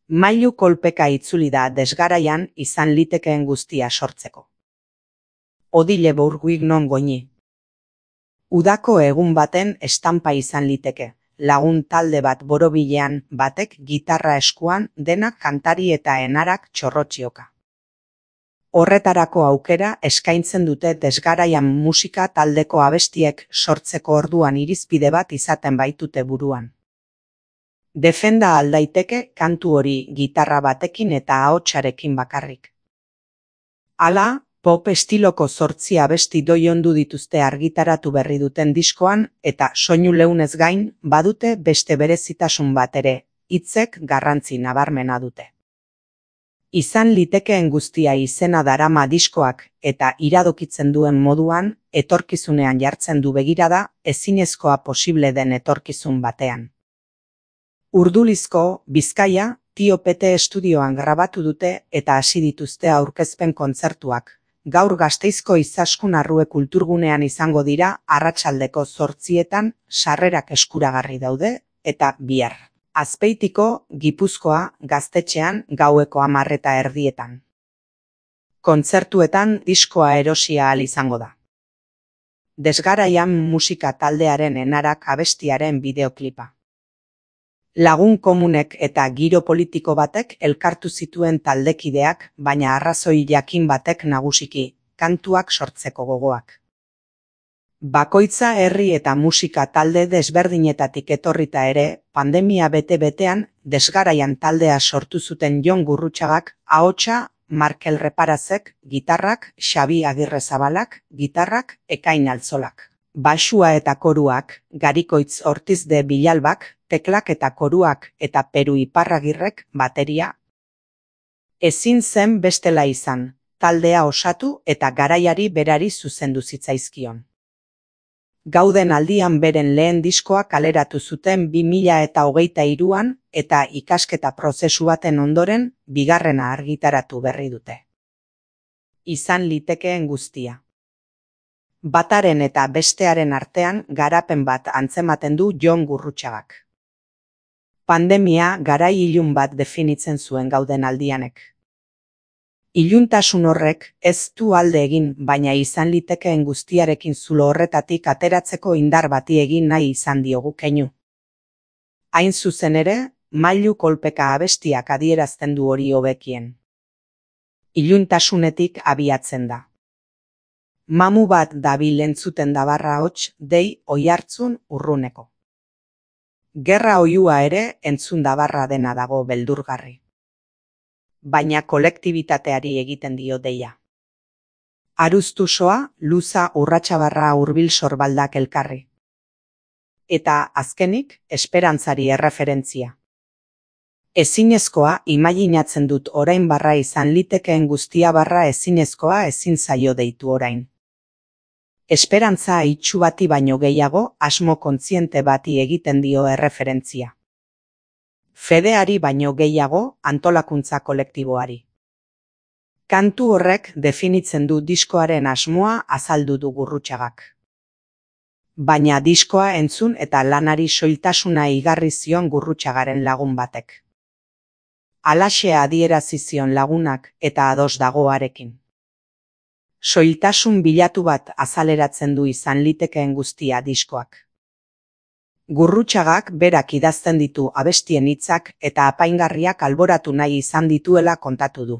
Mailu kolpeka itzuli da desgaraian izan litekeen guztia sortzeko. Odile Bourguig non goini. Udako egun baten estampa izan liteke, lagun talde bat borobilean, batek gitarra eskuan, denak kantari eta enarak txorrotxioka. Horretarako aukera eskaintzen dute desgaraian musika taldeko abestiek sortzeko orduan irizpide bat izaten baitute buruan. Defenda aldaiteke kantu hori gitarra batekin eta ahotsarekin bakarrik. Hala, pop estiloko 8 abesti doiondu dituzte argitaratu berri duten diskoan eta soinu leunez gain badute beste berezitasun bat ere, hitzek garrantzi nabarmena dute. Izan litekeen guztia izena darama diskoak eta iradokitzen duen moduan, etorkizunean jartzen du begirada, ezinezkoa posible den etorkizun batean. Urdulizko, Bizkaia, Tio Pete estudioan grabatu dute eta hasi dituzte aurkezpen kontzertuak. Gaur Gasteizko Izaskun Arrue kulturgunean izango dira arratsaldeko 8etan sarrerak eskuragarri daude eta bihar. Azpeitiko, Gipuzkoa, Gaztetxean gaueko 10:30. Kontzertuetan diskoa erosi ahal izango da. Desgaraian musika taldearen enarak abestiaren bideoklipa. Lagun komunek eta giro politiko batek elkartu zituen taldekideak, baina arrazoi jakin batek nagusiki, kantuak sortzeko gogoak. Bakoitza herri eta musika talde desberdinetatik etorrita ere, pandemia bete-betean, desgaraian taldea sortu zuten Jon Gurrutxagak, ahotsa, Markel Reparazek, gitarrak, Xabi Agirrezabalak, gitarrak, Ekain Altzolak. Baxua eta koruak, Garikoitz Ortiz de Bilalbak, teklak eta koruak eta Peru Iparragirrek, bateria. Ezin zen bestela izan, taldea osatu eta garaiari berari zuzendu zitzaizkion. Gauden aldian beren lehen diskoa kaleratu zuten 2023an eta ikasketa prozesu baten ondoren, bigarrena argitaratu berri dute. Izan litekeen guztia. Bataren eta bestearen artean garapen bat antzematen du Jon Gurrutxagak. Pandemia garai ilun bat definitzen zuen gauden aldianek. Iluntasun horrek ez du alde egin, baina izan litekeen guztiarekin zulo horretatik ateratzeko indar bati egin nahi izan diogu keinu. Hain zuzen ere, Mailu kolpeka abestiak adierazten du hori hobekien. Iluntasunetik abiatzen da. Mamu bat dabil entzuten da barra hots, dei oihartzun urruneko. Gerra oihua ere entzun da barra dena dago beldurgarri. Baina kolektibitateari egiten dio deia. Aruztusoa, luza urratsabarra hurbil sorbaldak elkarri. Eta azkenik, esperantzari erreferentzia. Ezinezkoa imaginatzen dut orain barra izan litekeen guztia barra ezinezkoa ezin zaio deitu orain. Esperantza itxu bati baino gehiago asmo kontziente bati egiten dio erreferentzia. Fedeari baino gehiago antolakuntza kolektiboari. Kantu horrek definitzen du diskoaren asmoa azaldu du Gurrutxagak. Baina diskoa entzun eta lanari soiltasuna igarri zion Gurrutxagaren lagun batek. Halaxe adierazi zion lagunak eta ados dagoarekin. Soiltasun bilatu bat azaleratzen du izan litekeen guztia diskoak. Gurrutxagak berak idazten ditu abestien hitzak eta apaingarriak alboratu nahi izan dituela kontatu du.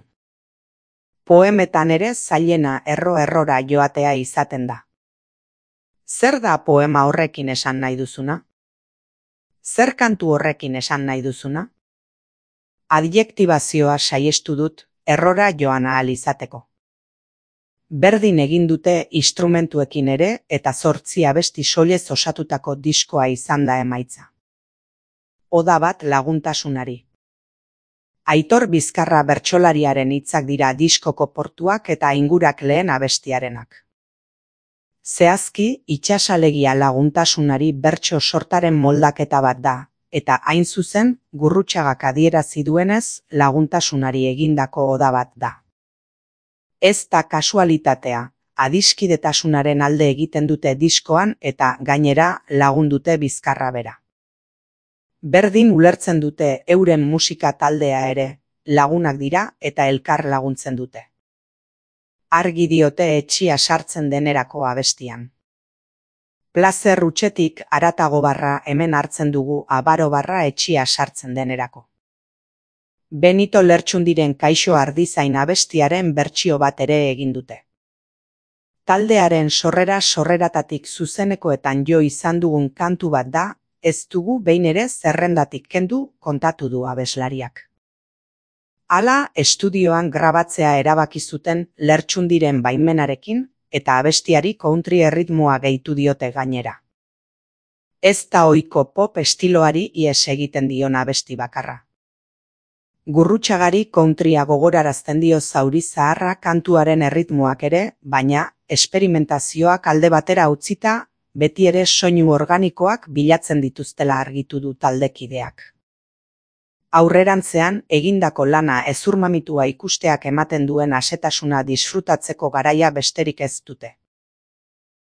Poemetan ere zailena errora joatea izaten da. Zer da poema horrekin esan nahi duzuna? Zer kantu horrekin esan nahi duzuna? Adjektibazioa saihestu dut errora joan ahal izateko. Berdin egin dute instrumentuekin ere eta 8 abesti soilez osatutako diskoa izan da emaitza. Oda bat laguntasunari. Aitor Bizkarra bertsolariaren hitzak dira diskoko portuak eta ingurak lehen abestiarenak. Zehazki, itsasalegia laguntasunari bertso sortaren moldaketa bat da, eta hain zuzen, Gurrutxagak adierazi duenez, laguntasunari egindako oda bat da. Ez da kasualitatea, adiskidetasunaren alde egiten dute diskoan eta gainera lagundute Bizkarra bera. Berdin ulertzen dute euren musika taldea ere, lagunak dira eta elkar laguntzen dute. Argi diote etxia sartzen denerako abestian. Plazer hutsetik haratago barra hemen hartzen dugu abaro barra etxia sartzen denerako. Benito Lertxundiren Kaixo Ardizain abestiaren bertsio bat ere egin dute. Taldearen sorreratatik zuzenekoetan jo izan dugun kantu bat da, ez dugu behin ere zerrendatik kendu kontatu du abeslariak. Hala, estudioan grabatzea erabaki zuten Lertxundiren baimenarekin eta abestiari country erritmoa gehitu diote gainera. Ez da ohiko pop estiloari ihes egiten dion abesti bakarra. Gurrutxagari countrya gogorarazten dio zauri zaharra kantuaren erritmoak ere, baina esperimentazioak alde batera utzita, beti ere soinu organikoak bilatzen dituztela argitu du taldekideak. Aurrerantzean, egindako lana hezurmamitua ikusteak ematen duen asetasuna disfrutatzeko garaia besterik ez dute.